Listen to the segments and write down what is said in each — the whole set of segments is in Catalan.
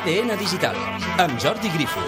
ADN Digital, amb Jordi Grifo.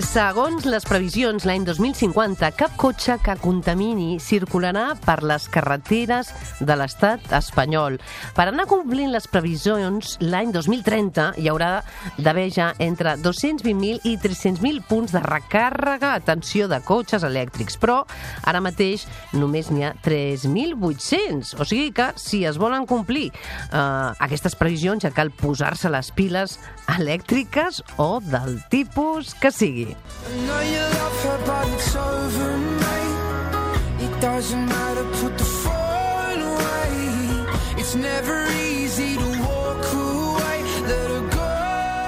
Segons les previsions, l'any 2050, cap cotxe que contamini circularà per les carreteres de l'estat espanyol. Per anar complint les previsions, l'any 2030 hi haurà d'haver ja entre 220.000 i 300.000 punts de recàrrega, atenció, de cotxes elèctrics. Però ara mateix només n'hi ha 3.800. O sigui que, si es volen complir aquestes previsions, ja cal posar-se les piles elèctriques o del tipus que sigui. I know you love her, but it's over, mate. It doesn't matter, put the phone away. It's never easy to walk away, let her go.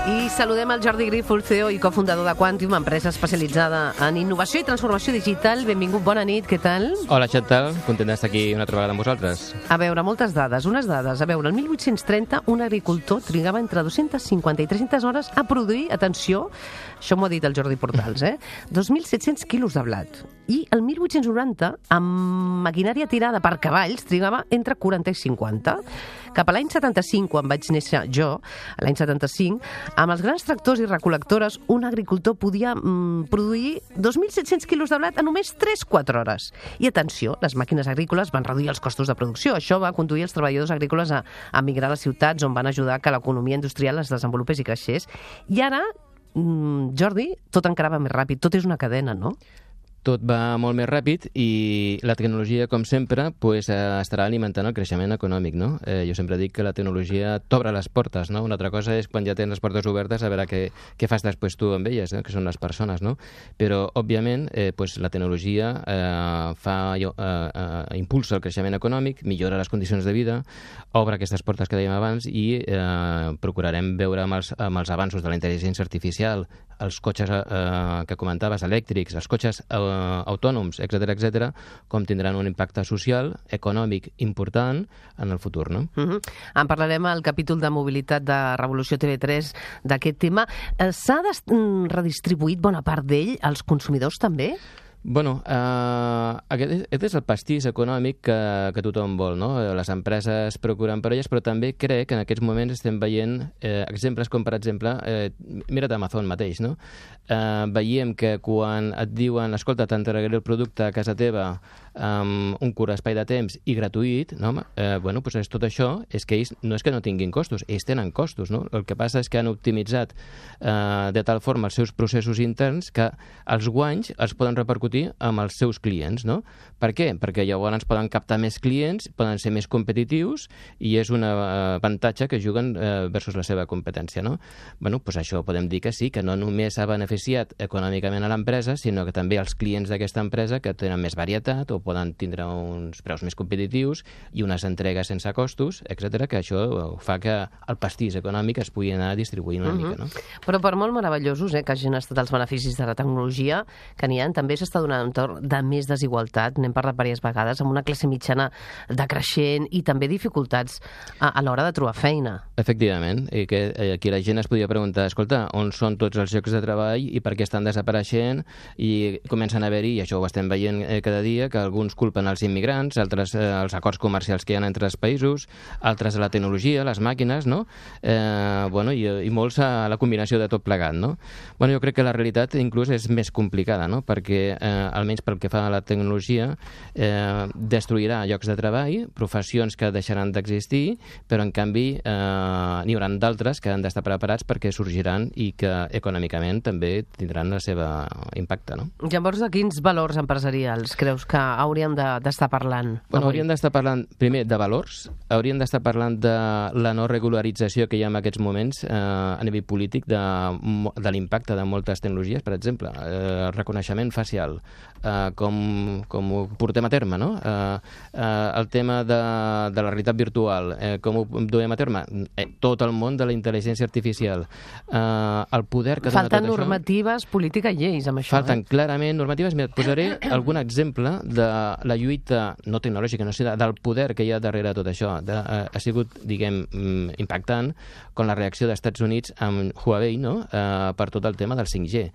I saludem el Jordi Grifo, el CEO i cofundador de Quantium, empresa especialitzada en innovació i transformació digital. Benvingut, bona nit, què tal? Hola, Chantal, content d'estar aquí una altra vegada amb vosaltres. A veure, moltes dades, unes dades. A veure, el 1830 un agricultor trigava entre 250 i 300 hores a produir, atenció, això m'ho ha dit el Jordi Portals, 2.700 quilos de blat. I el 1890, amb maquinària tirada per cavalls, trigava entre 40 i 50. Cap a l'any 75, quan vaig néixer jo, l'any 75, amb els grans tractors i recol·lectores, un agricultor podia produir 2.700 quilos de blat en només 3-4 hores. I atenció, les màquines agrícoles van reduir els costos de producció. Això va conduir els treballadors agrícoles a migrar a les ciutats, on van ajudar que l'economia industrial es desenvolupés i creixés. I ara, Jordi, tot encara va més ràpid. Tot és una cadena, no? Tot va molt més ràpid i la tecnologia, com sempre, estarà alimentant el creixement econòmic, no? Jo sempre dic que la tecnologia t'obre les portes, no? Una altra cosa és quan ja tens les portes obertes a veure què fas després tu amb elles, no? Que són les persones, no? Però, òbviament, la tecnologia impulsa el creixement econòmic, millora les condicions de vida, obre aquestes portes que dèiem abans i procurarem veure amb els avanços de la intel·ligència artificial, els cotxes que comentaves, elèctrics, els cotxes autònoms, etc., com tindran un impacte social, econòmic important en el futur, no? En parlarem al capítol de mobilitat de Revolució TV3 d'aquest tema. S'ha redistribuït bona part d'ell als consumidors també? Bueno, aquest és el pastís econòmic que tothom vol, no? Les empreses procuren per elles, però també crec que en aquests moments estem veient exemples com, per exemple, mira't Amazon mateix, no? Veiem que quan et diuen, escolta, t'entregaré el producte a casa teva amb un curt espai de temps i gratuït, no? És tot això, és que ells no és que no tinguin costos, ells tenen costos, no? El que passa és que han optimitzat de tal forma els seus processos interns que els guanys els poden repercutir amb els seus clients, no? Per què? Perquè llavors poden captar més clients, poden ser més competitius i és un avantatge que juguen versus la seva competència, no? Això podem dir que sí, que no només ha beneficiat econòmicament a l'empresa, sinó que també els clients d'aquesta empresa que tenen més varietat o poden tindre uns preus més competitius i unes entregues sense costos, etc., que això fa que el pastís econòmic es pugui anar distribuint una mica, no? Però per molt meravellosos que hagin estat els beneficis de la tecnologia que n'hi ha, també s'està donant un entorn de més desigualtat, n'hem parlat diverses vegades, amb una classe mitjana decreixent i també dificultats a l'hora de trobar feina. Efectivament, i que aquí la gent es podia preguntar, escolta, on són tots els llocs de treball i per què estan desapareixent, i comencen a haver-hi, i això ho estem veient cada dia, que alguns culpen els immigrants, altres els acords comercials que hi ha entre els països, altres la tecnologia, les màquines, no? I molts a la combinació de tot plegat, no? Jo crec que la realitat inclús és més complicada, no? Perquè almenys pel que fa a la tecnologia, destruirà llocs de treball, professions que deixaran d'existir, però en canvi n'hi haurà d'altres que han d'estar preparats perquè sorgiran i que econòmicament també tindran el seu impacte, no? Llavors, de quins valors empresarials creus que hauríem d'estar parlant? Hauríem d'estar parlant, primer, de valors, hauríem d'estar parlant de la no regularització que hi ha en aquests moments a nivell polític de l'impacte de moltes tecnologies, per exemple, el reconeixement facial, com ho portem a terme, no? El tema de la realitat virtual, com ho duem a terme? Tot el món de la intel·ligència artificial. El poder que dona tot això... Falten normatives, política i lleis amb això. Falten clarament normatives. Mira, et posaré algun exemple de la lluita, no tecnològica, no sé, del poder que hi ha darrere tot això. Ha sigut, diguem, impactant con la reacció dels Estats Units amb Huawei, no? Per tot el tema del 5G.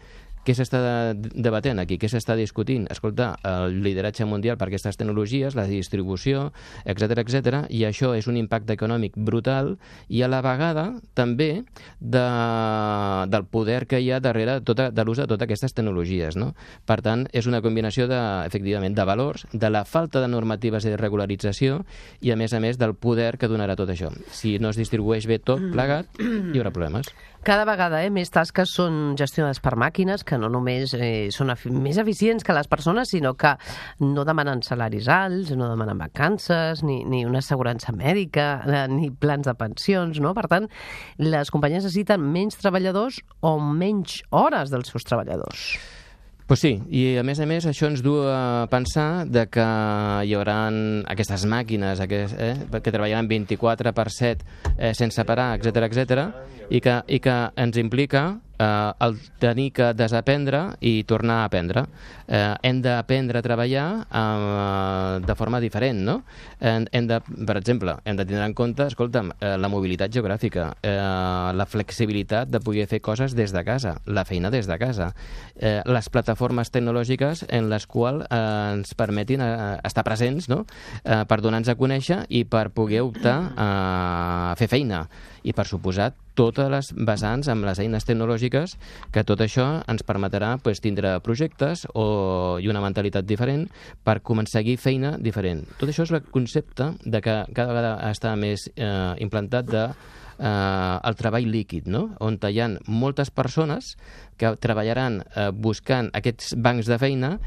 què s'està debatent aquí? Què s'està discutint? Escolta, el lideratge mundial per aquestes tecnologies, la distribució, etc, i això és un impacte econòmic brutal i a la vegada també del poder que hi ha darrere de l'ús de totes aquestes tecnologies, no? Per tant, és una combinació efectivament, de valors, de la falta de normatives i de regularització i, a més, del poder que donarà tot això. Si no es distribueix bé tot plegat, hi haurà problemes. Cada vegada més tasques són gestionades per màquines que no només són més eficients que les persones, sinó que no demanen salaris alts, no demanen vacances, ni una assegurança mèdica, ni plans de pensions, no? Per tant, les companyies necessiten menys treballadors o menys hores dels seus treballadors. Pues sí, i a més, això ens du a pensar de que hi haurà aquestes màquines que treballaran 24/7 sense parar, etc, i que ens implica el tenir que desaprendre i tornar a aprendre. Hem d'aprendre a treballar de forma diferent, no? Per exemple, hem de tindre en compte, escolta'm, la mobilitat geogràfica, la flexibilitat de poder fer coses des de casa, la feina des de casa, les plataformes tecnològiques en les quals ens permetin estar presents, no? Per donar-nos a conèixer i per poder optar a fer feina. I, per suposat, totes les vessants amb les eines tecnològiques, que tot això ens permetrà tindre projectes i una mentalitat diferent per aconseguir feina diferent. Tot això és el concepte de que cada vegada està més implantat el treball líquid, no? On hi ha moltes persones que treballaran buscant aquests bancs de feina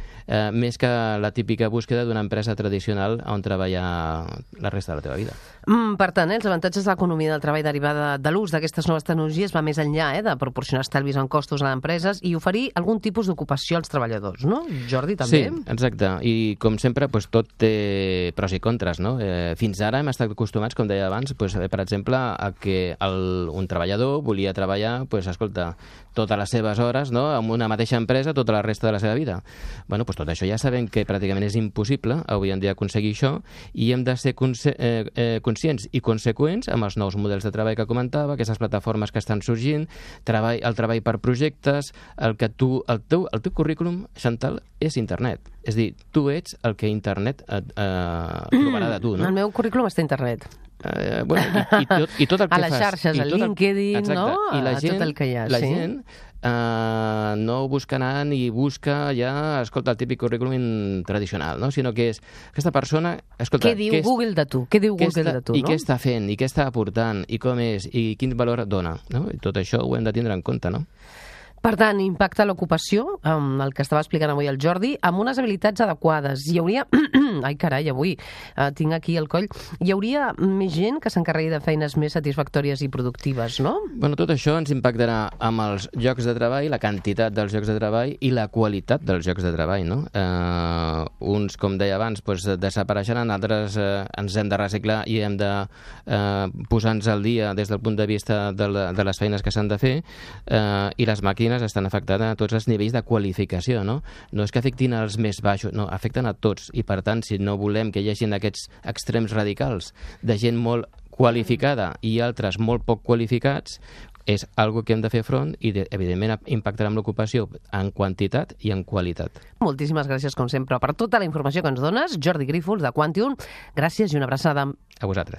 més que la típica búsqueda d'una empresa tradicional on treballar la resta de la teva vida. Per tant, els avantatges de l'economia del treball derivada de l'ús d'aquestes noves tecnologies va més enllà de proporcionar estalvis en costos a empreses i oferir algun tipus d'ocupació als treballadors, no? Jordi, també? Sí, exacte. I, com sempre, tot té pros i contres, no? Fins ara hem estat acostumats, com deia abans, per exemple, a que un treballador volia treballar, escolta, totes les seves hores, no?, en una mateixa empresa tota la resta de la seva vida. Bueno, tot això ja sabem que pràcticament és impossible avui en dia aconseguir això i hem de ser conscients i conseqüents amb els nous models de treball que comentava, aquestes plataformes que estan sorgint, el treball per projectes, el teu currículum, Chantal, és internet. És a dir, tu ets el que internet trobarà de tu, no? El meu currículum està a internet. I tot el que fas. A les xarxes, a LinkedIn, no? A tot el que hi ha, la gent no buscarà ni busca ja, escolta, el típic currículum tradicional, no? Sinó que és aquesta persona... Escolta, què diu Google de tu? Què diu Google de tu, no? I què està fent, i què està aportant, i com és, i quin valor dona, no? I tot això ho hem de tindre en compte, no? Per tant, impacta l'ocupació, el que estava explicant avui el Jordi, amb unes habilitats adequades. Hi hauria... Ai, carai, avui tinc aquí el coll. Hi hauria més gent que s'encarregui de feines més satisfactòries i productives, no? Bueno, tot això ens impactarà amb els llocs de treball, la quantitat dels llocs de treball i la qualitat dels llocs de treball, no? Uns, com deia abans, desapareixeran, altres ens hem de reciclar i hem de posar-nos al dia des del punt de vista de les feines que s'han de fer, i les màquines estan afectant a tots els nivells de qualificació, no? No és que afectin els més baixos, no, afecten a tots, i per tant, si no volem que hi hagi aquests extrems radicals de gent molt qualificada i altres molt poc qualificats, és algo que hem de fer front i, evidentment, impactarà amb l'ocupació en quantitat i en qualitat. Moltíssimes gràcies, com sempre, per tota la informació que ens dones. Jordi Grífols, de Quantium. Gràcies i una abraçada. A vosaltres.